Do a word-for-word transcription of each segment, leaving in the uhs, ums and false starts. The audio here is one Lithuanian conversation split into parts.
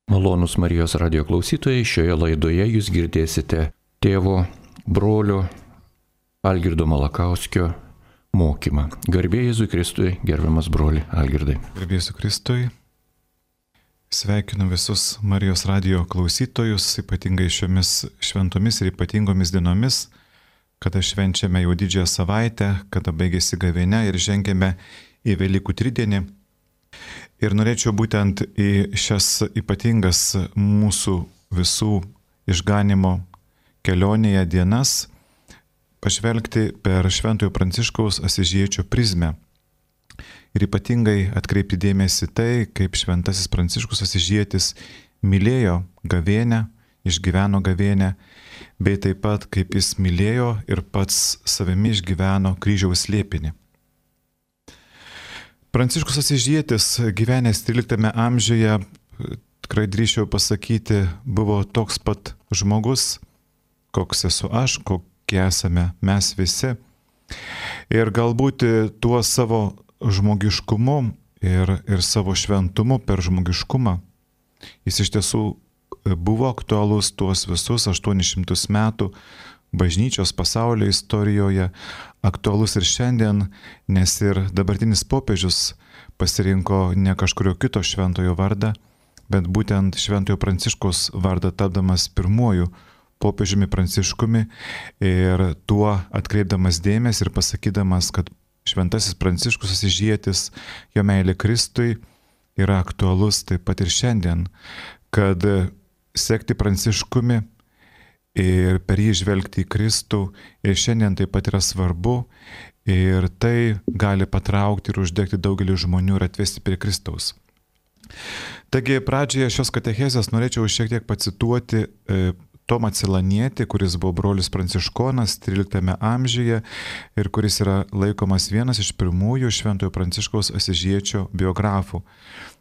Malonūs Marijos radio klausytojai, šioje laidoje jūs girdėsite tėvo, brolio Algirdo Malakauskio mokymą. Garbė Jėzui Kristui, gerbiamas broli Algirdai. Garbė Jėzui Kristui. Sveikinu visus Marijos radio klausytojus, ypatingai šiomis šventomis ir ypatingomis dienomis, kada švenčiame jau didžiąją savaitę, kada baigėsi gavėnia ir žengėme į Velykų tridienį. Ir norėčiau būtent į šias ypatingas mūsų visų išganimo kelionėje dienas pažvelgti per Šventojo Pranciškaus Asyžiečio prizmę. Ir ypatingai atkreipti dėmesį tai, kaip Šventasis Pranciškus Asyžietis mylėjo gavėnią, išgyveno gavėnią, bei taip pat kaip jis mylėjo ir pats savimi išgyveno kryžiaus slėpinį. Pranciškus Asyžietis, gyvenęs tryliktame amžiuje, tikrai drįsčiau pasakyti, buvo toks pat žmogus, koks esu aš, kokie esame mes visi. Ir galbūt tuo savo žmogiškumu ir, ir savo šventumu per žmogiškumą jis iš tiesų buvo aktualus tuos visus aštuonis šimtus metų bažnyčios pasaulio istorijoje, aktualus ir šiandien, nes ir dabartinis popiežius pasirinko ne kažkurio kito šventojo vardą, bet būtent Šventojo Pranciškaus vardą tapdamas pirmuoju popiežiumi Pranciškumi ir tuo atkreipdamas dėmesį ir pasakydamas, kad Šventasis Pranciškus Asyžietis, jo meilė Kristui yra aktualus taip pat ir šiandien, kad sekti Pranciškumi ir per jį žvelgti į Kristų ir šiandien taip pat yra svarbu ir tai gali patraukti ir uždegti daugelį žmonių ir atvesti prie Kristaus. Taigi pradžioje šios katechezės norėčiau šiek tiek pacituoti e, Tomą Celanietį, kuris buvo brolis pranciškonas tryliktame amžiuje ir kuris yra laikomas vienas iš pirmųjų Šventojo Pranciškaus Asyžiečio biografų.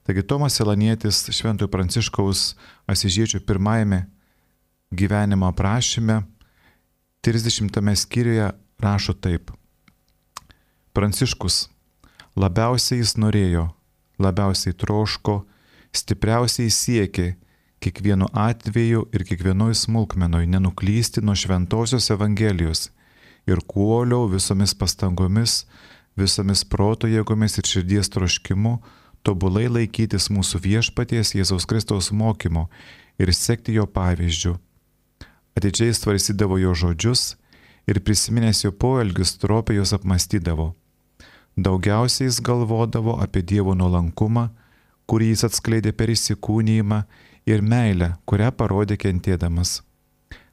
Taigi Tomas Celanietis Šventojo Pranciškaus Asyžiečio pirmajame gyvenimo aprašyme trisdešimtame skyriuje rašo taip. Pranciškus labiausiai jis norėjo, labiausiai troško, stipriausiai siekė kiekvienu atveju ir kiekvienoj smulkmenoj nenuklysti nuo šventosios Evangelijos ir kuoliau visomis pastangomis, visomis proto jėgomis ir širdies troškimu tobulai laikytis mūsų viešpaties Jėzaus Kristaus mokymo ir sekti jo pavyzdžiu. Atidžiai svarstydavo jo žodžius ir prisiminęs jo poelgius stropiai juos apmąstydavo. Daugiausiai jis galvodavo apie Dievo nuolankumą, kurį jis atskleidė per įsikūnijimą ir meilę, kurią parodė kentėdamas.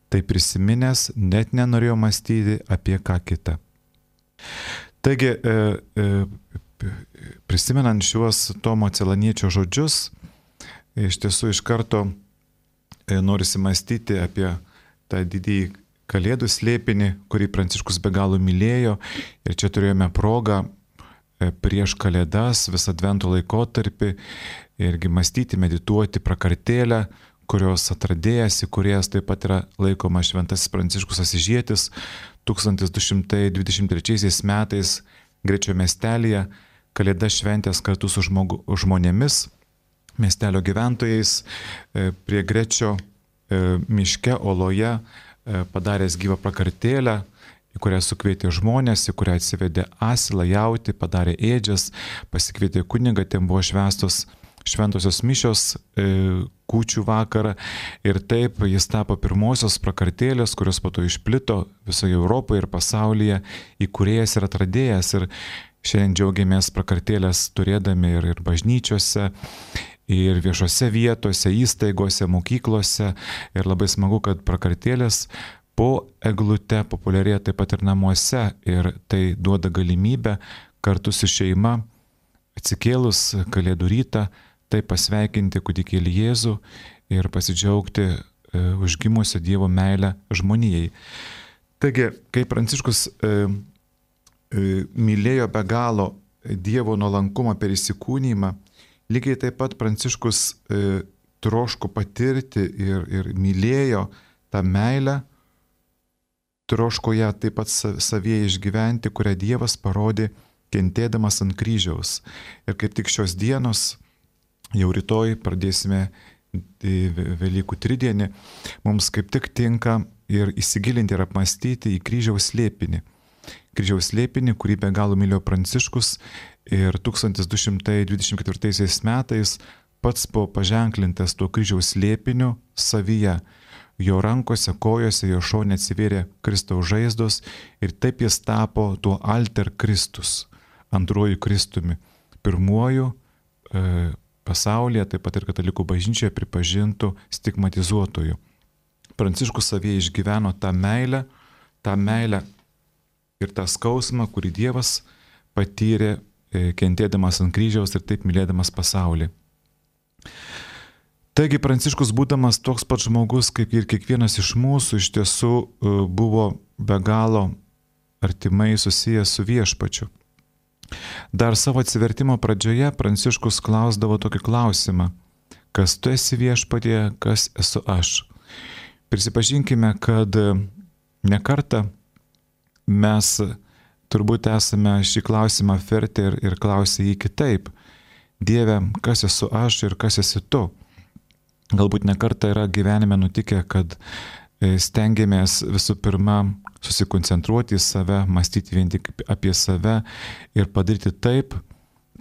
Tai prisiminęs net nenorėjo mąstyti apie ką kitą. Taigi, e, e, prisimenant šiuos Tomo Celaniečio žodžius, iš tiesų iš karto e, norisi mąstyti apie tą didįjį Kalėdų slėpinį, kurį Pranciškus be galo mylėjo. Ir čia turėjome progą prieš Kalėdas, visą Advento laikotarpį, irgi mąstyti, medituoti prakartėlę, kurios atradėjas, įkūrėjas taip pat yra laikomas Šventasis Pranciškus Asyžietis, tūkstantis du šimtai dvidešimt trečiaisiais metais Grečio miestelyje Kalėdas šventęs kartu su žmogu, žmonėmis, miestelio gyventojais, prie Grečio miške oloje padaręs gyvą prakartėlę, į kurią sukvietė žmonės, į kurią atsivedė asilą, jautį, padarė ėdžias, pasikvietė kunigą, ten buvo švęstos šventosios mišios e, kūčių vakarą ir taip jis tapo pirmosios prakartėlės, kurios po to išplito visoje Europoje ir pasaulyje, įkūrėjas ir atradėjas. Ir šiandien džiaugiamės prakartėlės turėdami ir, ir bažnyčiose, ir viešose vietose, įstaigose, mokyklose. Ir labai smagu, kad prakartėlės po eglute populiarėja taip pat ir namuose. Ir tai duoda galimybę kartu su šeima atsikėlus Kalėdų rytą tai pasveikinti kūdikėlį Jėzų ir pasidžiaugti e, užgimusio Dievo meilę žmonijai. Taigi, kai Pranciškus e, e, mylėjo be galo Dievo nuolankumą per įsikūnijimą, lygiai taip pat Pranciškus e, troško patirti ir, ir mylėjo tą meilę, troško ją taip pat savyje išgyventi, kurią Dievas parodė kentėdamas ant kryžiaus. Ir kaip tik šios dienos, jau rytoj pradėsime Velykų tridienį, mums kaip tik tinka ir įsigilinti ir apmastyti į kryžiaus slėpinį. Kryžiaus slėpinį, kurį be galo mylėjo Pranciškus ir tūkstantis du šimtai dvidešimt ketvirtaisiais metais pats buvo paženklintas tuo kryžiaus slėpiniu savyje. Jo rankose, kojose, jo šone atsivėrė Kristaus žaizdos ir taip jis tapo tuo alter Kristus, antruoju Kristumi, pirmuoju e, pasaulyje, taip pat ir katalikų bažnyčioje pripažintų stigmatizuotojų. Pranciškus savyje išgyveno tą meilę, tą meilę ir tą skausmą, kurį Dievas patyrė e, kentėdamas ant kryžiaus ir taip mylėdamas pasaulį. Taigi Pranciškus, būdamas toks pat žmogus, kaip ir kiekvienas iš mūsų, iš tiesų buvo be galo artimai susijęs su Viešpačiu. Dar savo atsivertimo pradžioje Pranciškus klausdavo tokį klausimą: kas tu esi Viešpatie, kas esu aš? Prisipažinkime, kad ne kartą mes turbūt esame šį klausimą vertę ir, ir klausę jį kitaip: Dieve, kas esu aš ir kas esi tu? Galbūt ne kartą yra gyvenime nutikę, kad stengiamės visų pirma susikoncentruoti į save, mąstyti vien tik apie save ir padaryti taip,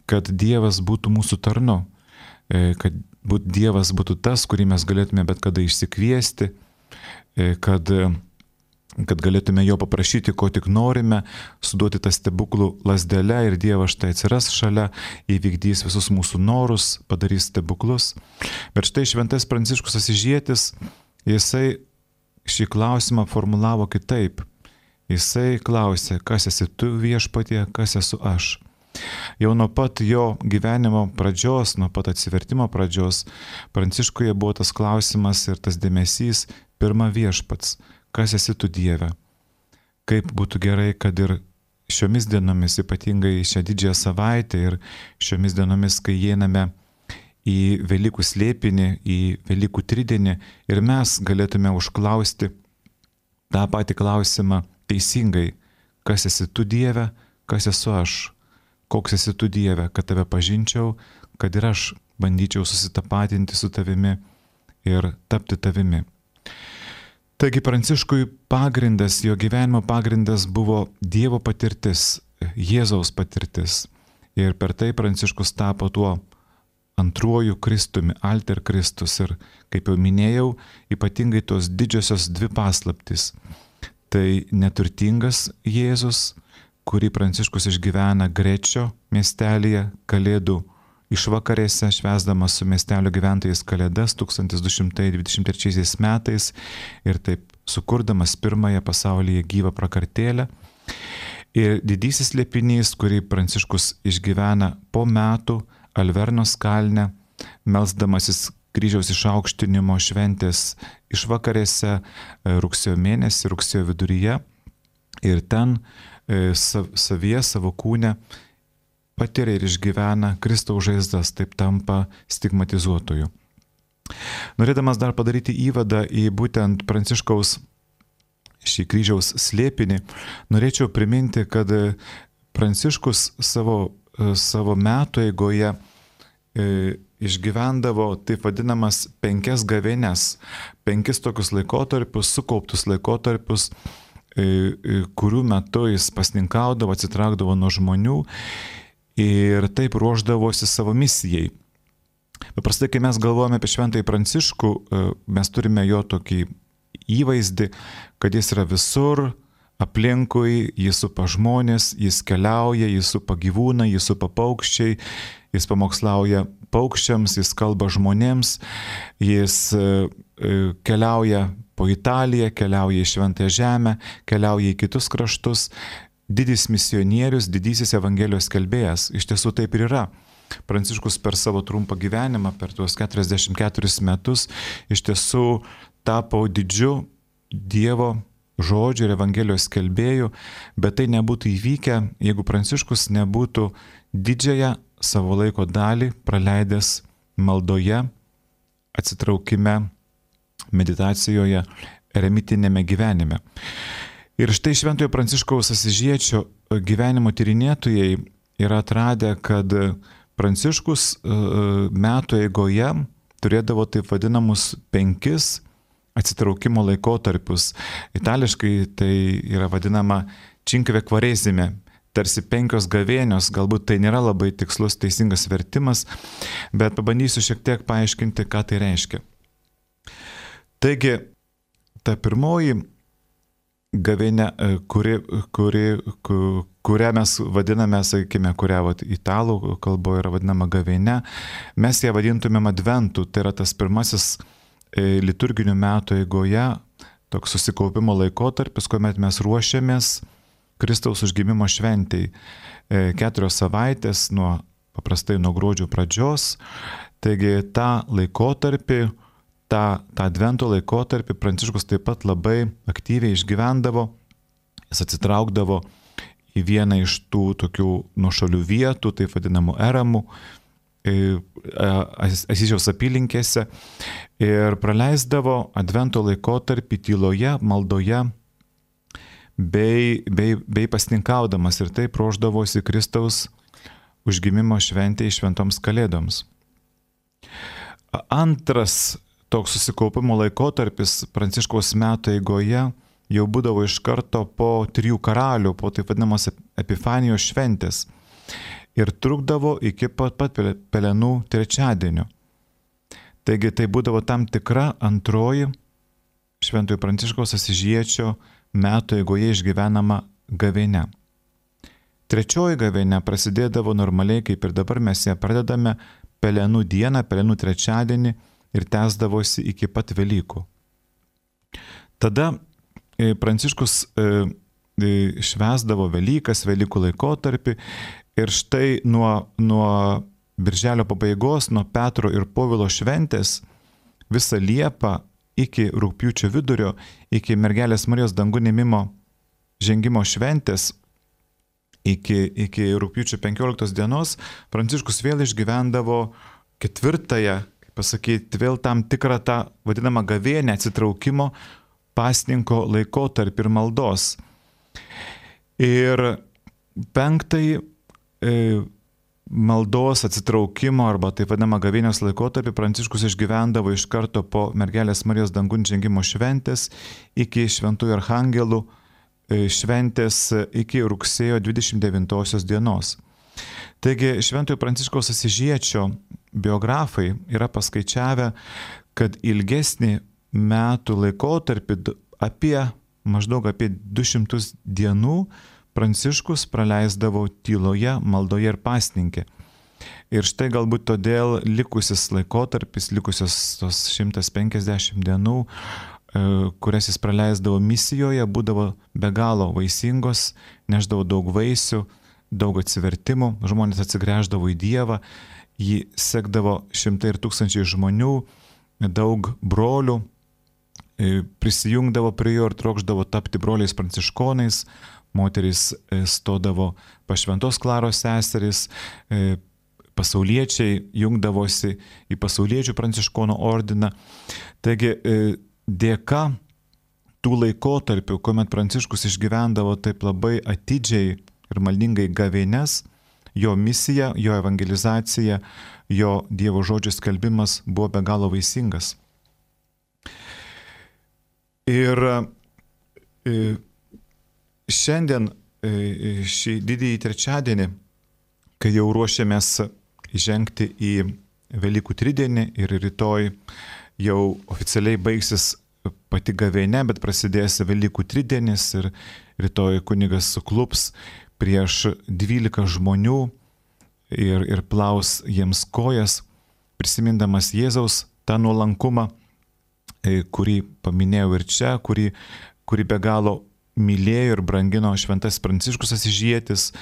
kad Dievas būtų mūsų tarnu, kad Dievas būtų tas, kurį mes galėtume bet kada išsikviesti, kad, kad galėtume jo paprašyti, ko tik norime, suduoti tą stebuklų lazdelę ir Dievas štai atsiras šalia, įvykdys visus mūsų norus, padarys stebuklus. Bet štai šventas Pranciškus Asyžietis, jisai šį klausimą formulavo kitaip. Jisai klausė, kas esi tu Viešpatie, kas esu aš. Jau nuo pat jo gyvenimo pradžios, nuo pat atsivertimo pradžios, Pranciškuje buvo tas klausimas ir tas dėmesys: pirma Viešpats, kas esi tu Dieve. Kaip būtų gerai, kad ir šiomis dienomis, ypatingai šią didžiąją savaitę ir šiomis dienomis, kai įeiname į Velykų slėpinį, į Velykų tridienį, ir mes galėtume užklausti tą patį klausimą teisingai: kas esi tu Dieve, kas esu aš, koks esi tu Dieve, kad tave pažinčiau, kad ir aš bandyčiau susitapatinti su tavimi ir tapti tavimi. Taigi Pranciškui pagrindas, jo gyvenimo pagrindas buvo Dievo patirtis, Jėzaus patirtis. Ir per tai Pranciškus tapo tuo antruoju Kristumi, alter Kristus. Ir kaip jau minėjau, ypatingai tos didžiosios dvi paslaptys. Tai neturtingas Jėzus, kurį Pranciškus išgyvena Grečio miestelyje Kalėdų išvakarėse, švęsdamas su miestelio gyventojais Kalėdas tūkstantis du šimtai dvidešimt trečiaisiais metais ir taip sukurdamas pirmąją pasaulyje gyvą prakartėlę. Ir didysis slėpinys, kurį Pranciškus išgyvena po metų Alvernos kalne, melsdamasis kryžiaus išaukštinimo šventės išvakarėse rugsėjo mėnesį, rugsėjo viduryje. Ir ten savyje, savo kūne patiria ir išgyvena Kristaus žaizdas, taip tampa stigmatizuotoju. Norėdamas dar padaryti įvadą į būtent Pranciškaus šį kryžiaus slėpinį, norėčiau priminti, kad Pranciškus savo, savo metų eigoje e, išgyvendavo taip vadinamas penkias gavėnes, penkis tokius laikotarpius, sukauptus laikotarpius, e, kurių metu jis pasninkaudavo, atsitraukdavo nuo žmonių ir taip ruošdavosi savo misijai. Paprastai, kai mes galvojame apie šventąjį Pranciškų, mes turime jo tokį įvaizdį, kad jis yra visur, aplinkui, jis supa žmonės, jis keliauja, jis supa gyvūną, jis supa paukščiai, jis pamokslauja paukščiams, jis kalba žmonėms, jis keliauja po Italiją, keliauja į Šventąją Žemę, keliauja į kitus kraštus. Didis misionierius, didysis Evangelijos skelbėjas. Iš tiesų taip ir yra. Pranciškus per savo trumpą gyvenimą, per tuos keturiasdešimt keturis metus, iš tiesų tapo didžiu Dievo žodžiu ir Evangelijos skelbėju, bet tai nebūtų įvykę, jeigu Pranciškus nebūtų didžiąją savo laiko dalį praleidęs maldoje, atsitraukime, meditacijoje, eremitinėme gyvenime. Ir štai šventojo Pranciškaus Asyžiečio gyvenimo tyrinėtojai yra atradę, kad Pranciškus metų eigoje turėdavo taip vadinamus penkis atsitraukimo laikotarpius. Itališkai tai yra vadinama cinque quaresime, tarsi penkios gavėnios, galbūt tai nėra labai tikslus, teisingas vertimas, bet pabandysiu šiek tiek paaiškinti, ką tai reiškia. Taigi, ta pirmoji gavėnė, kuri, kuri, kurią mes vadiname, sakykime, kurią vat, italų kalboje yra vadinama gavėnė, mes ją vadintumėm adventu, tai yra tas pirmasis liturginių metų eigoje, toks susikaupimo laikotarpis, kuomet mes ruošiamės Kristaus užgimimo šventei. Keturios savaitės, nuo, paprastai nuo gruodžio pradžios, taigi tą laikotarpį, tą, tą advento laikotarpį Pranciškus taip pat labai aktyviai išgyvendavo, jis atsitraukdavo į vieną iš tų tokių nuošalių vietų, taip vadinamų eramų, Asyžiaus apylinkėse ir praleisdavo advento laikotarpį tyloje, maldoje bei, bei, bei pasninkaudamas ir taip ruošdavosi Kristaus užgimimo šventei šventoms kalėdoms. Antras toks susikaupimo laikotarpis Pranciškaus metų eigoje jau būdavo iš karto po trijų karalių, po taip vadinamos Epifanijos šventės. Ir trukdavo iki pat, pat pelenų trečiadienio. Taigi tai būdavo tam tikra antroji Šventojo Pranciškaus Asyžiečio metų eigoje išgyvenama gavėnia. Trečioji gavėnia prasidėdavo normaliai, kaip ir dabar mes ją pradedame pelenų dieną, pelenų trečiadienį ir tęsdavosi iki pat Velykų. Tada Pranciškus švęsdavo Velykas, Velykų laikotarpį. Ir štai nuo, nuo birželio pabaigos, nuo Petro ir Povilo šventės, visą Liepą iki rugpjūčio vidurio, iki Mergelės Marijos dangun ėmimo žengimo šventės, iki, iki rugpjūčio penkioliktos dienos, Pranciškus vėl išgyvendavo ketvirtąją, kaip pasakyti, vėl tam tikrą tą vadinamą gavėnę atsitraukimo pasninko laikotarpį ir maldos. Ir penktąjį maldos atsitraukimo arba taip vadinamą gavėnios laikotarpį Pranciškus išgyvendavo iš karto po Mergelės Marijos dangun žengimo šventės iki Šventųjų Archangelų šventės iki rugsėjo dvidešimt devintosios dienos. Taigi Šventojo Pranciškaus Asyžiečio biografai yra paskaičiavę, kad ilgesnį metų laikotarpį apie maždaug apie du šimtus dienų Pranciškus praleisdavo tyloje, maldoje ir pasninke. Ir štai galbūt todėl likusis laikotarpis, likusios tos šimtas penkiasdešimt dienų, kurias jis praleisdavo misijoje, būdavo be galo vaisingos, neždavo daug vaisių, daug atsivertimų, žmonės atsigręždavo į Dievą, jį sekdavo šimtai ir tūkstančiai žmonių, daug brolių prisijungdavo prie jo ir trokšdavo tapti broliais pranciškonais. Moterys stodavo pas Šventos Klaros seseris, pasauliečiai jungdavosi į pasauliečių pranciškonų ordiną. Taigi dėka tų laikotarpių, kuomet Pranciškus išgyvendavo taip labai atidžiai ir maldingai gavėnes, jo misija, jo evangelizacija, jo Dievo žodžio skelbimas buvo be galo vaisingas. Ir šiandien šį didįjį trečiadienį, kai jau ruošiamės žengti į Velykų tridienį ir rytoj jau oficialiai baigsis pati gavėnia, bet prasidės Velykų tridienis ir rytoj kunigas suklups prieš dvylika žmonių ir, ir plaus jiems kojas, prisimindamas Jėzaus tą nuolankumą, kurį paminėjau ir čia, kurį, kurį be galo mylėjo ir brangino šventas Pranciškus Asyžietis,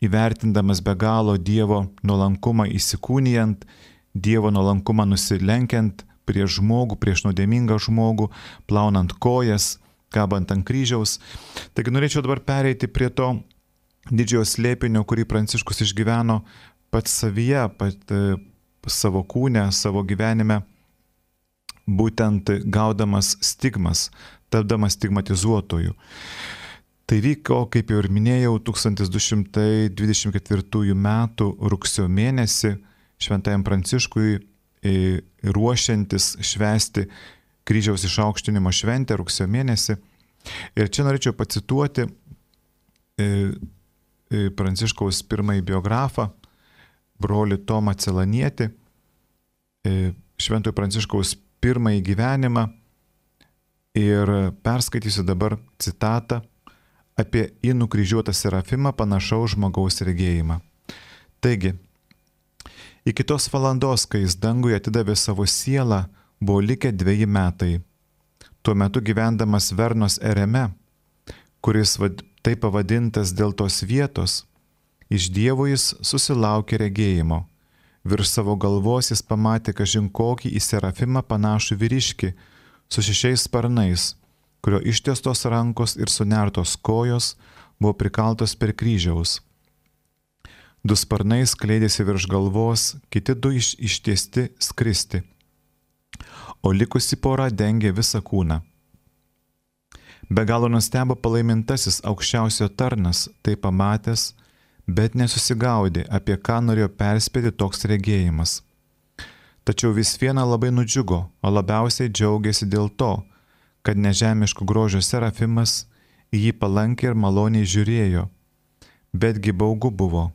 įvertindamas be galo Dievo nuolankumą įsikūnijant, Dievo nuolankumą nusilenkiant prieš žmogų, prieš nuodėmingą žmogų, plaunant kojas, kabant ant kryžiaus. Taigi norėčiau dabar pereiti prie to didžiojo slėpinio, kurį Pranciškus išgyveno pats savyje, pat savo kūne, savo gyvenime, būtent gaudamas stigmas, tapdamas stigmatizuotojų. Tai vyko, kaip jau ir minėjau, tūkstantis du šimtai dvidešimt ketvirtųjų metų rugsėjo mėnesį šventajam Pranciškui ruošiantis švęsti kryžiaus išaukštinimo šventę rugsėjo mėnesį. Ir čia norėčiau pacituoti Pranciškaus pirmąjį biografą, brolį Tomą Celanietį, Šventojo Pranciškaus pirmąjį gyvenimą, ir perskaitysiu dabar citatą apie į nukryžiuotą serafimą panašaus žmogaus regėjimą. Taigi, iki tos valandos, kai jis danguje atidavė savo sielą, buvo likę dveji metai. Tuo metu gyvendamas Vernos ereme, kuris vad, taip pavadintas dėl tos vietos, iš Dievo jis susilaukė regėjimo. Virš savo galvos jis pamatė kažin kokį į serafimą panašų vyriškį su šešiais sparnais, kurio ištiestos rankos ir sunertos kojos buvo prikaltos per kryžiaus. Du sparnai skleidėsi virš galvos, kiti du iš, ištiesti skristi, o likusi pora dengė visą kūną. Be galo nustebo palaimintasis aukščiausio tarnas, tai pamatęs, bet nesusigaudė, apie ką norėjo perspėti toks regėjimas. Tačiau vis viena labai nudžiugo, o labiausiai džiaugiasi dėl to, kad nežemiškų grožio serafimas į jį palankiai ir maloniai žiūrėjo, betgi baugu buvo,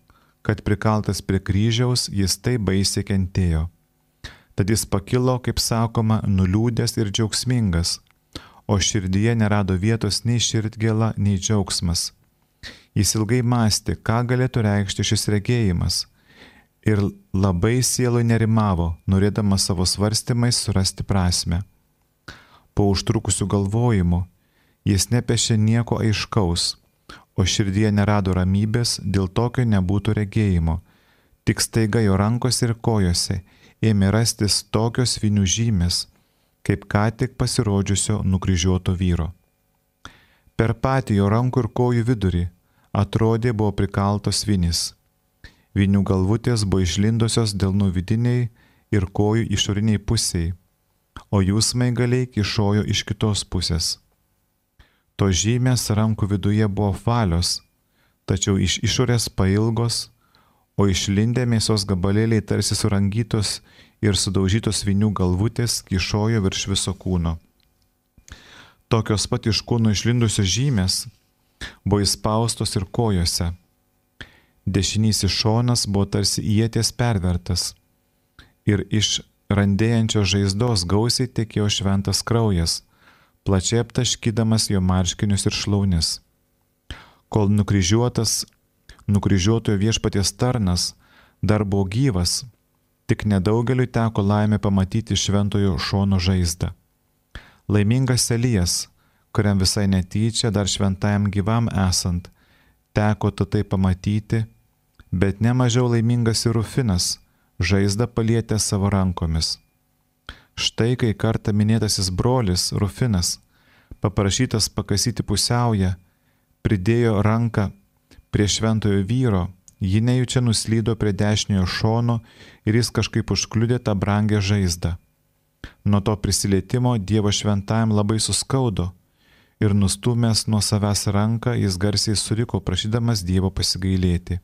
kad prikaltas prie kryžiaus jis taip baisiai kentėjo. Tad jis pakilo, kaip sakoma, nuliūdęs ir džiaugsmingas, o širdyje nerado vietos nei širdgėla, nei džiaugsmas. Jis ilgai mąstė, ką galėtų reikšti šis regėjimas, ir labai sielui nerimavo, norėdamas savo svarstymais surasti prasmę. Po užtrukusių galvojimų jis nepešė nieko aiškaus, o širdyje nerado ramybės, dėl tokio nebūtų regėjimo. Tik staiga jo rankose ir kojose ėmė rastis tokios vinių žymės, kaip ką tik pasirodžiusio nukryžiuoto vyro. Per patį jo rankų ir kojų vidurį atrodė buvo prikaltos vinys. Vinių galvutės buvo išlindusios delnų vidiniai ir kojų išoriniai pusiai, o jų smaigaliai kyšojo iš kitos pusės. To žymės rankų viduje buvo valios, tačiau iš išorės pailgos, o išlindę mėsos gabalėliai tarsi surangytos ir sudaužytos vinių galvutės kyšojo virš viso kūno. Tokios pat iš kūno išlindusios žymės buvo įspaustos ir kojose. Dešinysis šonas buvo tarsi ieties pervertas ir iš randėjančios žaizdos gausiai tekėjo šventas kraujas, plačiai aptaškydamas jo marškinius ir šlaunis. Kol nukryžiuotas, nukryžiuotojo viešpaties tarnas dar buvo gyvas, tik nedaugeliui teko laimė pamatyti šventojo šono žaizdą. Laimingas Elijas, kuriam visai netyčia dar šventajam gyvam esant, teko tai pamatyti, bet nemažiau laimingas ir Rufinas, žaizdą palietė savo rankomis. Štai kai kartą minėtasis brolis Rufinas, paprašytas pakasyti pusiaują, pridėjo ranką prie šventojo vyro, ji nejučia nuslydo prie dešiniojo šono ir jis kažkaip užkliudė tą brangę žaizdą. Nuo to prisilietimo Dievo šventajam labai suskaudo ir nustūmęs nuo savęs ranką jis garsiai suriko, prašydamas Dievo pasigailėti.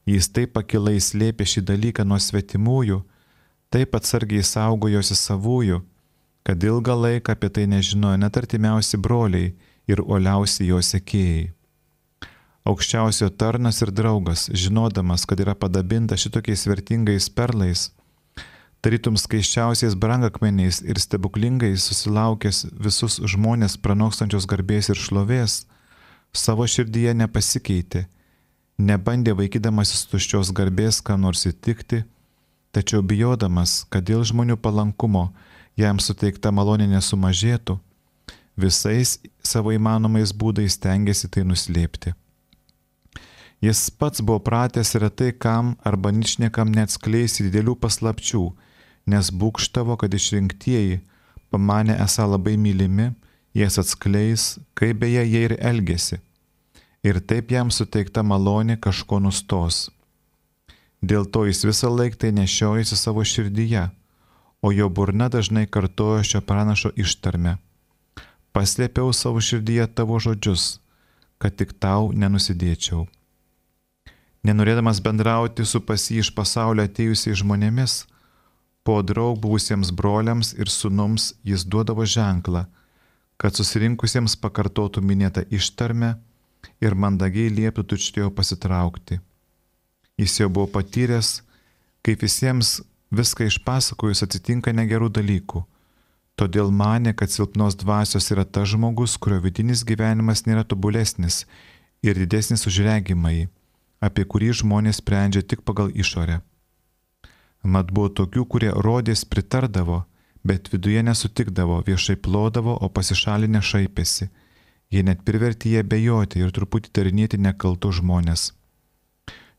Jis taip pakilai slėpė šį dalyką nuo svetimųjų, taip atsargiai saugojosi savųjų, kad ilgą laiką apie tai nežinojo net artimiausi broliai ir uoliausi jo sekėjai. Aukščiausio tarnas ir draugas, žinodamas, kad yra padabinta šitokiais vertingais perlais, tarytum skaiščiausiais brangakmeniais ir stebuklingais susilaukęs visus žmonės pranokstančios garbės ir šlovės, savo širdyje nepasikeitė, nebandė vaikydamasis tuščios garbės ką nors įtikti, tačiau bijodamas, kad dėl žmonių palankumo jam suteikta malonė nesumažėtų, visais savo įmanomais būdais stengiasi tai nuslėpti. Jis pats buvo pratęs retai kam arba ničniekam neatskleisti didelių paslapčių, nes būgštavo, kad išrinktieji, pamanė esą labai mylimi, jas atskleis, kaip beje jie ir elgėsi. Ir taip jam suteikta malonė kažko nustos. Dėl to jis visą laiką tai nešiojasi savo širdyje, o jo burna dažnai kartojo šio pranašo ištarmę. Paslėpiau savo širdyje tavo žodžius, kad tik tau nenusidėčiau. Nenorėdamas bendrauti su pas jį iš pasaulio atėjusiais žmonėmis, po draug buvusiems broliams ir sūnums jis duodavo ženklą, kad susirinkusiems pakartotų minėtą ištarmę ir mandagiai lieptų tučtuojau pasitraukti. Jis jau buvo patyręs, kaip visiems viską išpasakojus atsitinka negerų dalykų. Todėl manė, kad silpnos dvasios yra tas žmogus, kurio vidinis gyvenimas nėra tobulesnis ir didesnis už regimąjį, apie kurį žmonės sprendžia tik pagal išorę. Mat buvo tokių, kurie rodės pritardavo, bet viduje nesutikdavo, viešai plodavo, o pasišalinę šaipėsi. Jie net privertė jie bejoti ir truputį tarinėti nekaltus žmonės.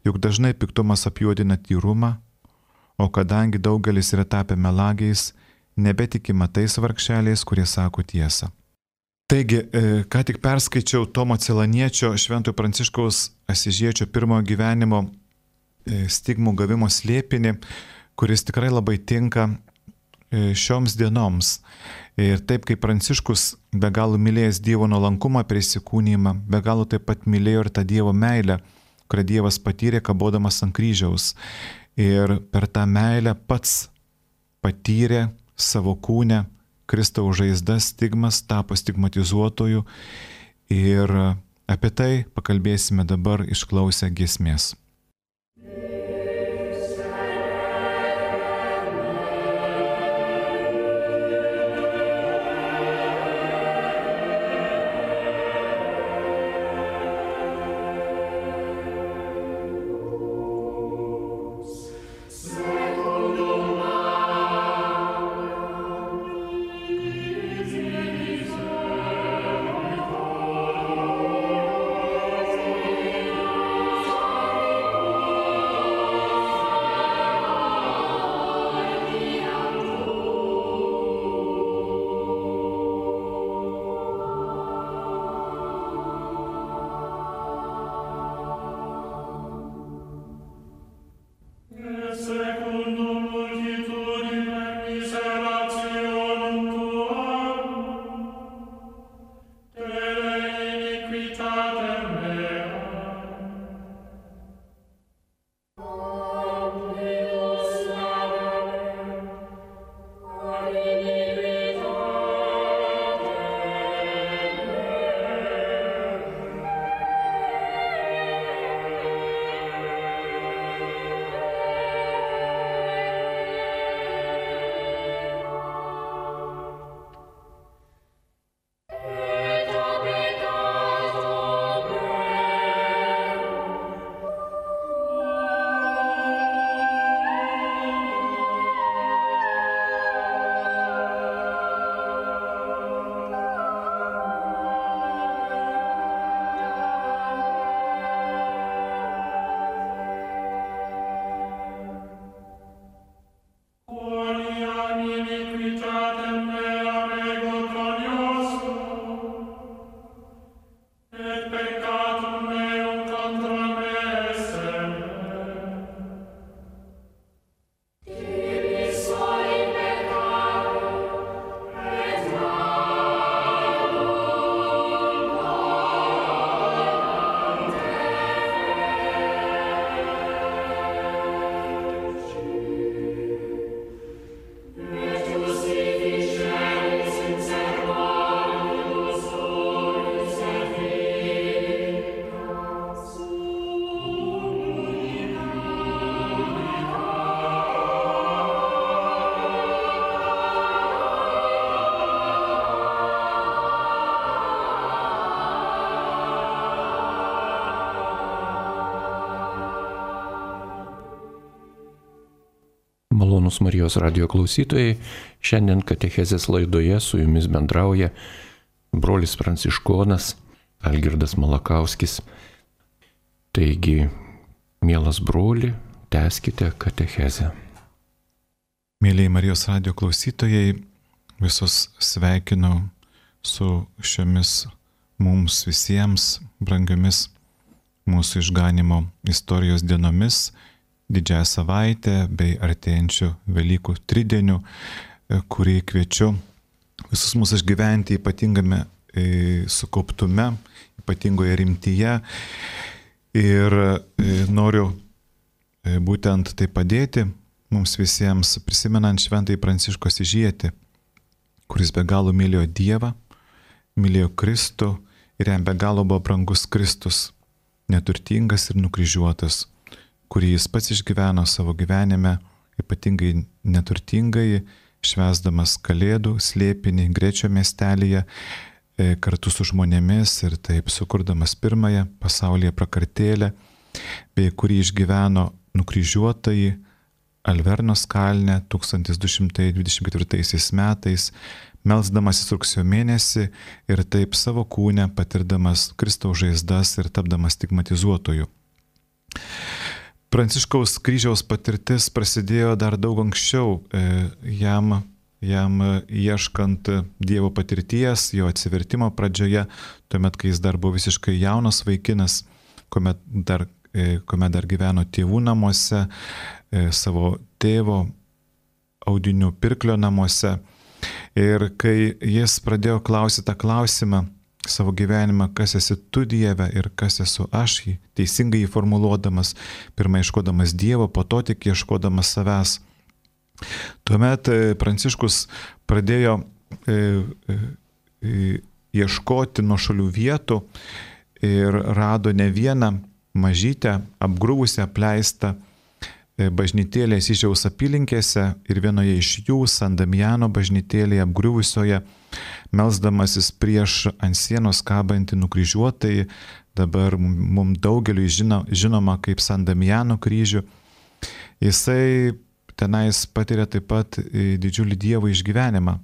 Juk dažnai piktumas apjuodina tyrumą, o kadangi daugelis yra tapę melagiais, nebetikima tais vargšeliais, kurie sako tiesą. Taigi, ką tik perskaičiau Tomo Celaniečio, Šventojo Pranciškaus Asyžiečio pirmojo gyvenimo stigmų gavimo slėpinį, kuris tikrai labai tinka šioms dienoms. Ir taip kaip Pranciškus be galo mylėjęs Dievo nuolankumą per įsikūnymą, be galo taip pat mylėjo ir tą Dievo meilę, kurią Dievas patyrė kabodamas ant kryžiaus. Ir per tą meilę pats patyrė savo kūne Kristaus žaizdas, stigmas, tapo stigmatizuotoju. Ir apie tai pakalbėsime dabar išklausę giesmės. Malonūs Marijos radijo klausytojai, šiandien katechezės laidoje su jumis bendrauja brolis pranciškonas Algirdas Malakauskis. Taigi, mielas broli, tęskite katechezę. Mėlyje Marijos radijo klausytojai, visus sveikinu su šiomis mums visiems brangiomis mūsų išganimo istorijos dienomis, didžiąją savaitę bei artėjančių Velykų tridienių, kurį kviečiu visus mūsų išgyventi ypatingame sukauptume, ypatingoje rimtyje. Ir noriu būtent tai padėti mums visiems prisimenant šventąjį Pranciškų Asyžietį, kuris be galo mylėjo Dievą, mylėjo Kristų ir jam be galo buvo brangus Kristus, neturtingas ir nukryžiuotas, kurį jis pats išgyveno savo gyvenime, ypatingai neturtingai, švęsdamas Kalėdų slėpinį Grečio miestelyje kartu su žmonėmis ir taip sukurdamas pirmąją pasaulyje prakartėlę, bei kurį išgyveno nukryžiuotąjį Alvernos kalne tūkstantis du šimtai dvidešimt ketvirtaisiais metais, melsdamasis rugsėjo mėnesį ir taip savo kūne patirdamas Kristaus žaizdas ir tapdamas stigmatizuotoju. Pranciškaus kryžiaus patirtis prasidėjo dar daug anksčiau, jam, jam ieškant Dievo patirties, jo atsivertimo pradžioje, tuomet, kai jis dar buvo visiškai jaunas vaikinas, kuomet dar, kuomet dar gyveno tėvų namuose, savo tėvo audinių pirklio namuose. Ir kai jis pradėjo klausyti tą klausimą savo gyvenimą, kas esi tu Dieve ir kas esu aš, jį teisingai jį formuluodamas, pirmą ieškodamas Dievo, po to tik ieškodamas savęs. Tuomet Pranciškus pradėjo e, e, ieškoti nuošalių vietų ir rado ne vieną mažytę, apgriuvusią, apleistą bažnytėlė Asyžiaus apylinkėse ir vienoje iš jų, San Damiano bažnytėlėje apgriuvusioje, melsdamasis prieš ant sienos kabantį nukryžiuotąjį, dabar mums daugeliui žino, žinoma kaip San Damiano kryžių, jisai tenais patiria taip pat didžiulį Dievo išgyvenimą.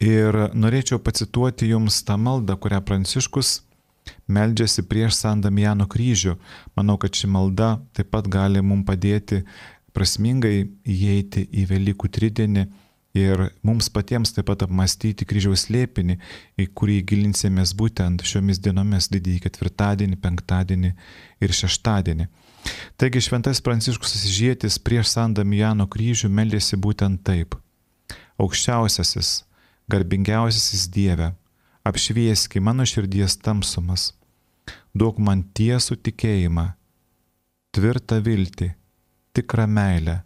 Ir norėčiau pacituoti jums tą maldą, kurią Pranciškus meldžiasi prieš San Damiano kryžių. Manau, kad ši malda taip pat gali mums padėti prasmingai įeiti į Velykų tridienį ir mums patiems taip pat apmąstyti kryžiaus slėpinį, į kurį gilinsimės būtent šiomis dienomis, didįjį ketvirtadienį, penktadienį ir šeštadienį. Taigi šventas Pranciškus Asyžietis prieš San Damiano kryžių meldėsi būtent taip. Aukščiausiasis, garbingiausiasis Dieve, apšvieski mano širdies tamsumas, duok man tiesų tikėjimą, tvirtą viltį, tikrą meilę,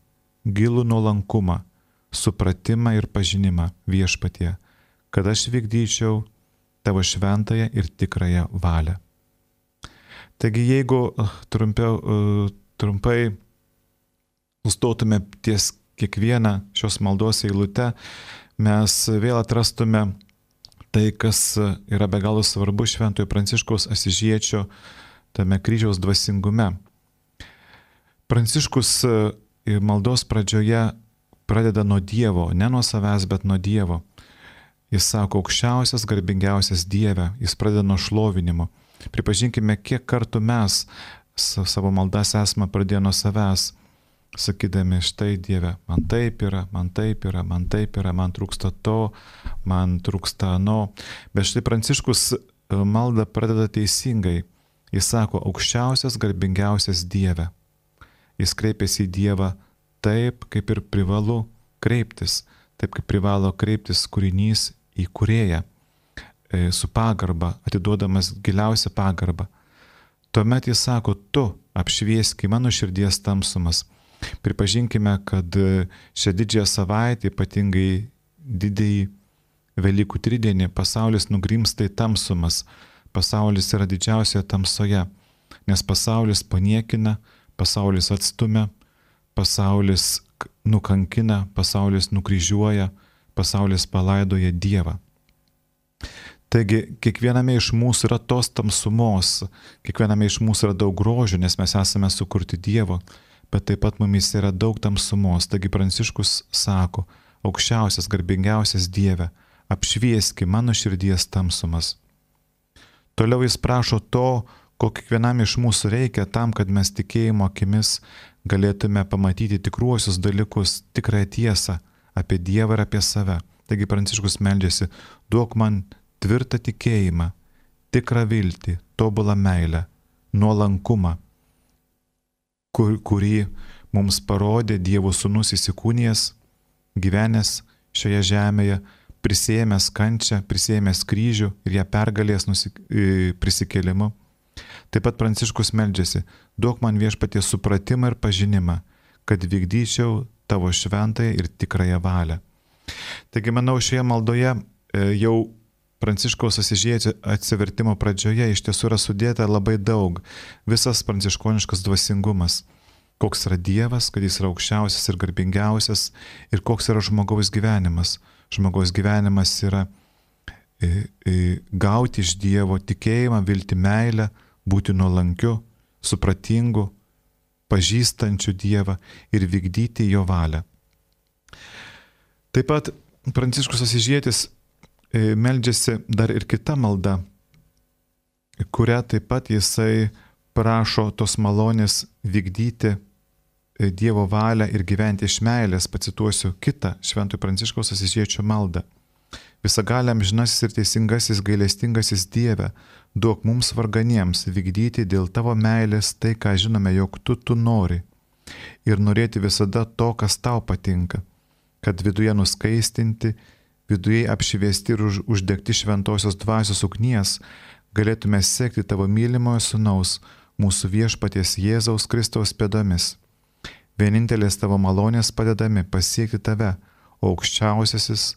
gilų nuolankumą, supratimą ir pažinimą Viešpatie, kad aš vykdyčiau tavo šventąją ir tikrąją valią. Taigi jeigu trumpiau, trumpai sustotume ties kiekvieną šios maldos eilutę, mes vėl atrastume tai, kas yra be galo svarbu šventojo Pranciškaus Asyžiečio tame kryžiaus dvasingume. Pranciškus maldos pradžioje pradeda nuo Dievo, ne nuo savęs, bet nuo Dievo. Jis sako, aukščiausias, garbingiausias Dieve, jis pradeda nuo šlovinimo. Pripažinkime, kiek kartų mes savo maldas esame pradėję nuo savęs, sakydami, štai Dieve, man taip yra, man taip yra, man taip yra, man trūksta to, man trūksta ano. Bet štai Pranciškus maldą pradeda teisingai. Jis sako, aukščiausias, garbingiausias Dieve. Jis kreipiasi į Dievą taip, kaip ir privalu kreiptis, taip kaip privalo kreiptis kūrinys į kūrėją, su pagarba, atiduodamas giliausią pagarbą. Tuomet jis sako, tu apšvieski mano širdies tamsumas. Pripažinkime, kad šią didžiąją savaitę, ypatingai didįjį Velykų tridienį, pasaulis nugrimsta į tamsumas. Pasaulis yra didžiausioje tamsoje, nes pasaulis paniekina, pasaulis atstumia, pasaulis nukankina, pasaulis nukryžiuoja, pasaulis palaidoja Dievą. Taigi, kiekviename iš mūsų yra tos tamsumos, kiekviename iš mūsų yra daug grožio, nes mes esame sukurti Dievo, bet taip pat mumis yra daug tamsumos. Taigi Pranciškus sako, aukščiausias, garbingiausias Dieve, apšvieski mano širdies tamsumas. Toliau jis prašo to, ko kiekvienam iš mūsų reikia tam, kad mes tikėjimo akimis galėtume pamatyti tikruosius dalykus, tikrąją tiesą apie Dievą ir apie save. Taigi Pranciškus meldžiasi, duok man tvirtą tikėjimą, tikrą viltį, tobulą meilę, nuolankumą, kur, kurį mums parodė Dievo sūnus įsikūnijęs, gyvenęs šioje žemėje, prisėmęs kančią, prisėmęs kryžių ir ją pergalės nusik... prisikėlimu. Taip pat Pranciškus meldžiasi, duok man Viešpatie supratimą ir pažinimą, kad vykdyčiau tavo šventąją ir tikrąją valią. Taigi, manau, šioje maldoje jau Pranciškaus Asyžiečio atsivertimo pradžioje iš tiesų yra sudėta labai daug, visas pranciškoniškas dvasingumas, koks yra Dievas, kad jis yra aukščiausias ir garbingiausias ir koks yra žmogaus gyvenimas. Žmogaus gyvenimas yra e, e, gauti iš Dievo tikėjimą, viltį, meilę, būti nuolankiu, supratingu, pažįstančiu Dievą ir vykdyti jo valią. Taip pat Pranciškus Asyžietis meldžiasi dar ir kita malda, kurią taip pat jisai prašo tos malonės vykdyti Dievo valią ir gyventi iš meilės. Pacituosiu kitą Šventojo Pranciškaus Asyžiečio maldą. Visagaliam žinasis ir teisingasis gailestingasis Dieve, duok mums varganiems vykdyti dėl tavo meilės tai, ką žinome, jog tu tu nori, ir norėti visada to, kas tau patinka, kad viduje nuskaistinti, viduje apšviesti ir už, uždegti šventosios dvasios ugnies, galėtume sekti tavo mylimojo sūnaus, mūsų viešpaties Jėzaus Kristaus pėdomis. Vienintelės tavo malonės padedami pasiekti tave, o aukščiausiasis,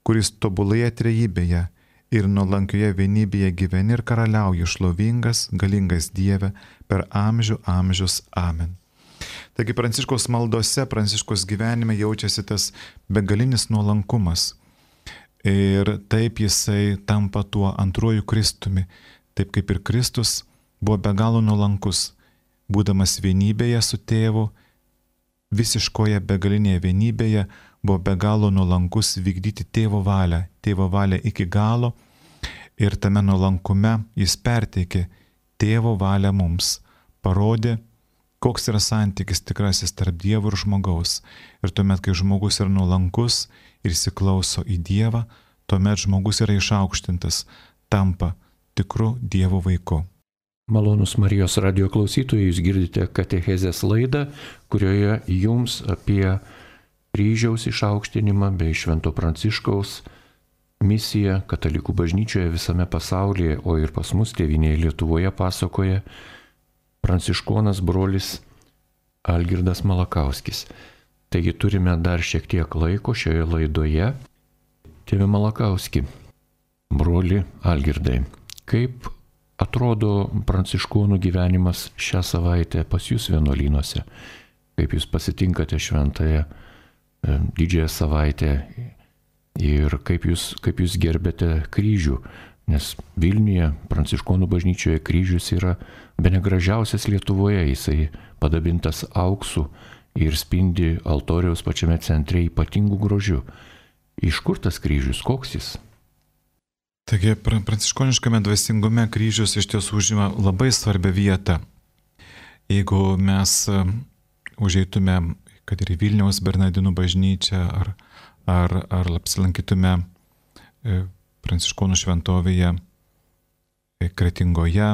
kuris tobulėje trejybėje ir nuolankioje vienybėje gyveni ir karaliauji, šlovingas, galingas Dieve, per amžių amžius. Amen. Taigi Pranciškaus maldose, Pranciškaus gyvenime jaučiasi tas begalinis nuolankumas. Ir taip jisai tampa tuo antruoju Kristumi, taip kaip ir Kristus buvo be galo nuolankus, būdamas vienybėje su tėvu, visiškoje begalinėje vienybėje, buvo be galo nuolankus vykdyti tėvo valią, tėvo valią iki galo, ir tame nuolankume jis perteikė tėvo valią mums, parodė, koks yra santykis tikrasis tarp Dievo ir žmogaus. Ir tuomet, kai žmogus yra nuolankus ir įsiklauso į Dievą, tuomet žmogus yra išaukštintas, tampa tikru Dievo vaiku. Malonus Marijos radijo klausytojai, jūs girdite katechezės laidą, kurioje jums apie kryžiaus išaukštinimą bei Švento Pranciškaus misiją katalikų bažnyčioje visame pasaulyje, o ir pas mus tėvynėje Lietuvoje pasakoja pranciškonas brolis Algirdas Malakauskis. Taigi turime dar šiek tiek laiko šioje laidoje. Tėve Malakauski, broli Algirdai, kaip atrodo pranciškonų gyvenimas šią savaitę pas jūs vienuolynuose? Kaip jūs pasitinkate šventąją didžiąją savaitę ir kaip jūs, kaip jūs gerbėte kryžių? Nes Vilniuje, pranciškonų bažnyčioje kryžius yra bene gražiausias Lietuvoje, jisai padabintas auksu ir spindi altoriaus pačiame centre ypatingų grožių. Iš kur tas kryžius, koks jis? Taigi, pranciškoniškame dvasingume kryžius iš tiesų užima labai svarbią vietą. Jeigu mes užeitume, kad ir į Vilniaus Bernardinų bažnyčią, ar, ar, ar apsilankytume pranciškonų šventovėje Kretingoje,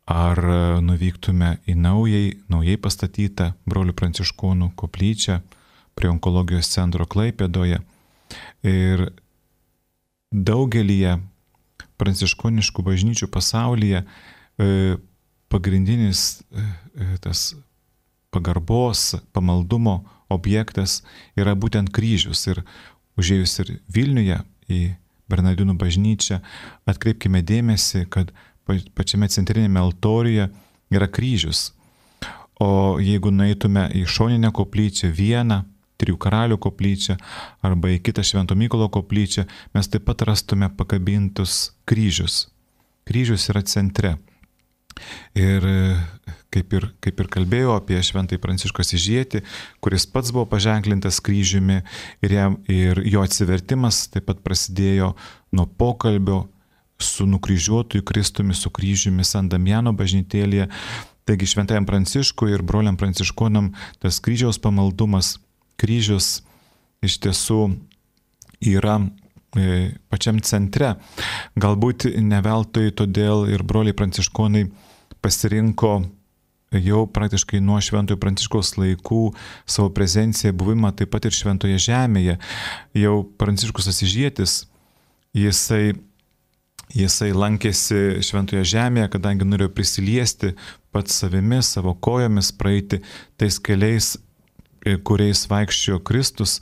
ar nuvyktume į naujai, naujai pastatytą brolių pranciškonų koplyčią prie onkologijos centro Klaipėdoje. Ir daugelyje pranciškoniškų bažnyčių pasaulyje pagrindinis tas pagarbos, pamaldumo objektas yra būtent kryžius. Ir užėjus ir Vilniuje į Bernardinų bažnyčią, atkreipkime dėmesį, kad pačiame centrinėme altoriuje yra kryžius. O jeigu nueitume į šoninę koplyčią, vieną, Trijų karalių koplyčią arba į kitą Švento Mykolo koplyčią, mes taip pat rastume pakabintus kryžius. Kryžius yra centre. Ir kaip ir, kaip ir kalbėjau apie Šventąjį Pranciškų Asyžietį, kuris pats buvo paženklintas kryžiumi ir, jam, ir jo atsivertimas taip pat prasidėjo nuo pokalbio su nukryžiuotuoju Kristumi, su kryžiumi San Damiano bažnytėlėje. Taigi Šventajam Pranciškui ir broliam pranciškonam tas kryžiaus pamaldumas, kryžius iš tiesų yra e, pačiam centre. Galbūt ne veltui todėl ir broliai pranciškonai pasirinko jau praktiškai nuo Šventojo Pranciškaus laikų savo prezenciją, buvimą taip pat ir Šventoje žemėje. Jau Pranciškus Asyžietis, jisai Jisai lankėsi Šventoje žemėje, kadangi norėjo prisiliesti pats savimi, savo kojomis, praeiti tais keliais kuriais vaikščiojo Kristus,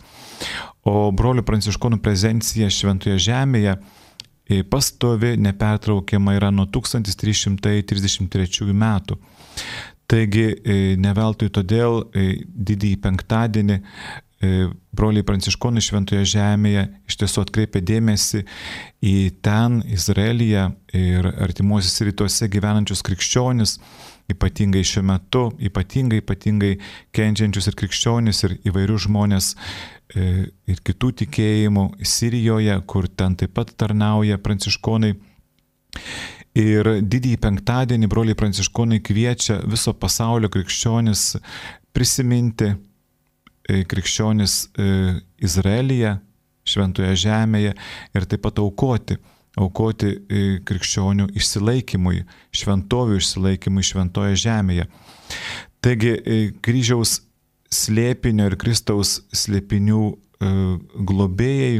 o brolių pranciškonų prezencija šventoje žemėje pastovi, nepertraukiama yra nuo tūkstantis trys šimtai trisdešimt trečiųjų metų. Taigi ne veltui todėl didįjį penktadienį broliai pranciškonai šventoje žemėje iš tiesų atkreipia dėmesį į ten, Izraelyje ir artimuosiuose rytuose gyvenančius krikščionis, ypatingai šiuo metu, ypatingai, ypatingai kenčiančius ir krikščionis ir įvairius žmonės ir kitų tikėjimų Sirijoje, kur ten taip pat tarnauja pranciškonai. Ir didįjį penktadienį broliai pranciškonai kviečia viso pasaulio krikščionis prisiminti krikščionis Izraelyje, šventoje žemėje ir taip pat aukoti, aukoti krikščionių išsilaikymui, šventovių išsilaikymui šventoje žemėje. Taigi kryžiaus slėpinio ir Kristaus slėpinių globėjai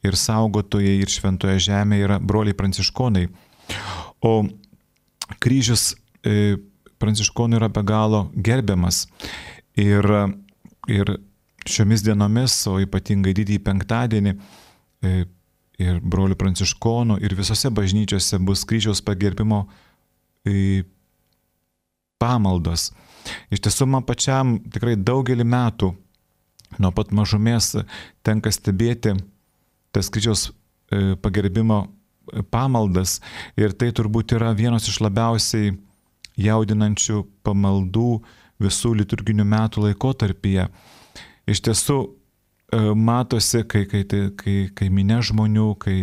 ir saugotojai ir šventoje žemėje yra broliai pranciškonai. O kryžius pranciškonų yra be galo gerbiamas. Ir, ir šiomis dienomis, o ypatingai didįjį penktadienį, ir brolių pranciškonų, ir visose bažnyčiose bus kryžiaus pagerbimo pamaldos. Iš tiesų, man pačiam tikrai daugelį metų nuo pat mažumės tenka stebėti tas kryžiaus pagerbimo pamaldas ir tai turbūt yra vienos iš labiausiai jaudinančių pamaldų visų liturginių metų laikotarpyje. Iš tiesų matosi, kai, kai, kai, kai minė žmonių, kai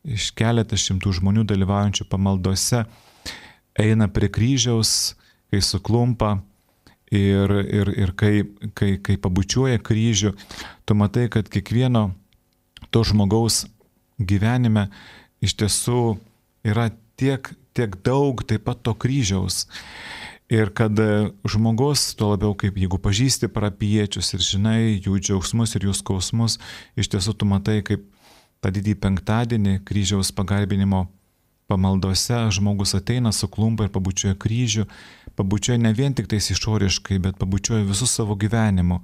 iš keletas šimtų žmonių dalyvaujančių pamaldose eina prie kryžiaus, kai suklumpa ir, ir, ir kai, kai, kai pabučiuoja kryžių, tu matai, kad kiekvieno to žmogaus gyvenime iš tiesų yra tiek, tiek daug taip pat to kryžiaus. Ir kad žmogus, tuo labiau kaip jeigu pažįsti parapijiečius ir žinai jų džiaugsmus ir jų skausmus, iš tiesų tu matai, kaip tą didįjį penktadienį kryžiaus pagarbinimo pamaldose žmogus ateina, suklumpa ir pabučiuoja kryžių, pabučiuoja ne vien tik tais išoriškai, bet pabučiuoja visų savo gyvenimu.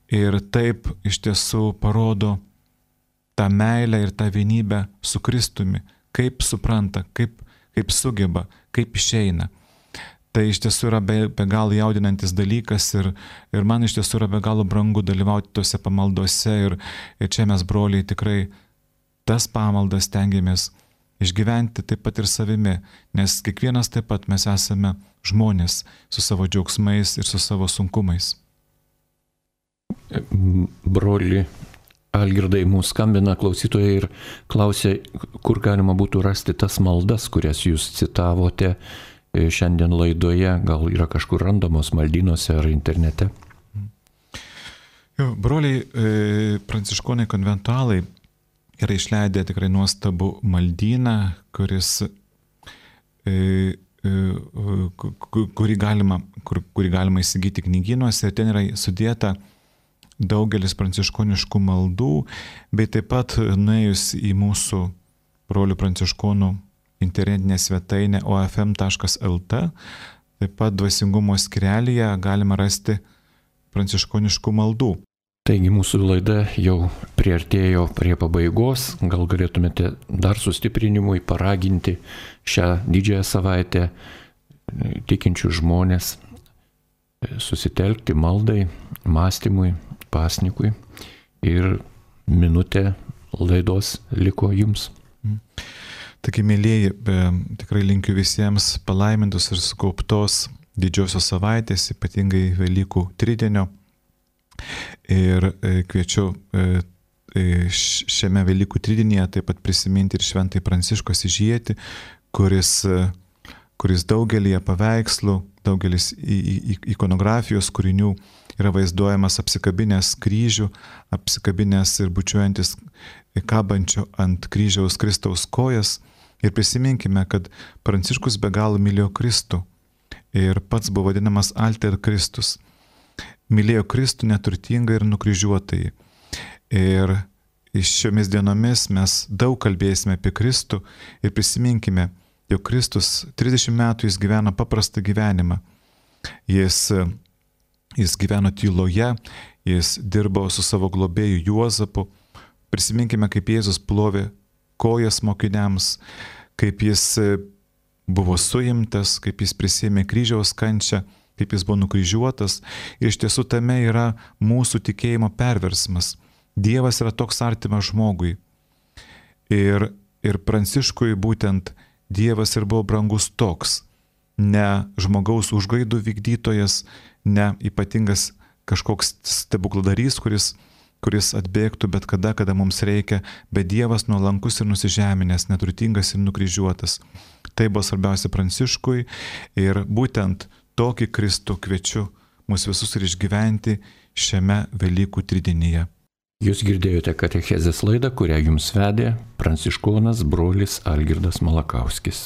Ir taip iš tiesų parodo tą meilę ir tą vienybę su Kristumi, kaip supranta, kaip, kaip sugeba, kaip išeina. Tai iš tiesų yra be, be galo jaudinantis dalykas ir, ir man iš tiesų yra be galo brangu dalyvauti tose pamaldose ir, ir čia mes, broliai, tikrai tas pamaldas stengiamės išgyventi taip pat ir savimi, nes kiekvienas taip pat mes esame žmonės su savo džiaugsmais ir su savo sunkumais. Broli Algirdai, mūsų skambina klausytojai ir klausia, kur galima būtų rasti tas maldas, kurias jūs citavote šiandien laidoje, gal yra kažkur randamos maldynuose ar internete? Jo, broliai e, pranciškonai konventualai yra išleidę tikrai nuostabų maldyną, kuris, e, e, kurį, galima, kur, kurį galima įsigyti knygynuose ir ten yra sudėta daugelis pranciškoniškų maldų, bei taip pat nuėjus į mūsų brolių pranciškonų internetinę svetainę o f m taškas l t, taip pat dvasingumo skyrelyje galima rasti pranciškoniškų maldų. Taigi mūsų laida jau priartėjo prie pabaigos, gal galėtumėte dar sustiprinimui paraginti šią didžiąją savaitę tikinčių žmonės susitelkti maldai, mąstymui, pasnikui ir minutė laidos liko jums. Taigi, mėlyjeji, tikrai linkiu visiems palaimintos ir sukauptos didžiosios savaitės, ypatingai Velykų tridienio. Ir kviečiu šiame Velykų tridienyje taip pat prisiminti ir šventąjį Pranciškų Asyžietį, kuris, kuris daugelį paveikslų, daugelis ikonografijos kūrinių yra vaizduojamas apsikabinęs kryžių, apsikabinęs ir bučiuojantis kabančio ant kryžiaus Kristaus kojas. Ir prisiminkime, kad Pranciškus be galo mylėjo Kristų ir pats buvo vadinamas Alter Kristus. Mylėjo Kristų neturtingai ir nukryžiuotai. Ir šiomis dienomis mes daug kalbėsime apie Kristų ir prisiminkime, jog Kristus trisdešimt metų jis gyveno paprastą gyvenimą. Jis jis gyveno tyloje, jis dirbo su savo globėju Juozapu. Prisiminkime, kaip Jėzus plovė kojas mokiniams, kaip jis buvo suimtas, kaip jis prisėmė kryžiaus kančią, kaip jis buvo nukryžiuotas. Ir iš tiesų tame yra mūsų tikėjimo perversmas. Dievas yra toks artimas žmogui. Ir, ir Pranciškui būtent Dievas ir buvo brangus toks. Ne žmogaus užgaidų vykdytojas, ne ypatingas kažkoks stebukladarys, kuris kuris atbėgtų bet kada, kada mums reikia, bet Dievas nuolankus ir nusižeminęs, neturtingas ir nukryžiuotas. Tai buvo svarbiausia Pranciškui ir būtent tokį Kristų kviečiu mus visus ir išgyventi šiame Velykų tridinyje. Jūs girdėjote katechezės laidą, kurią jums vedė pranciškonas brolis Algirdas Malakauskis.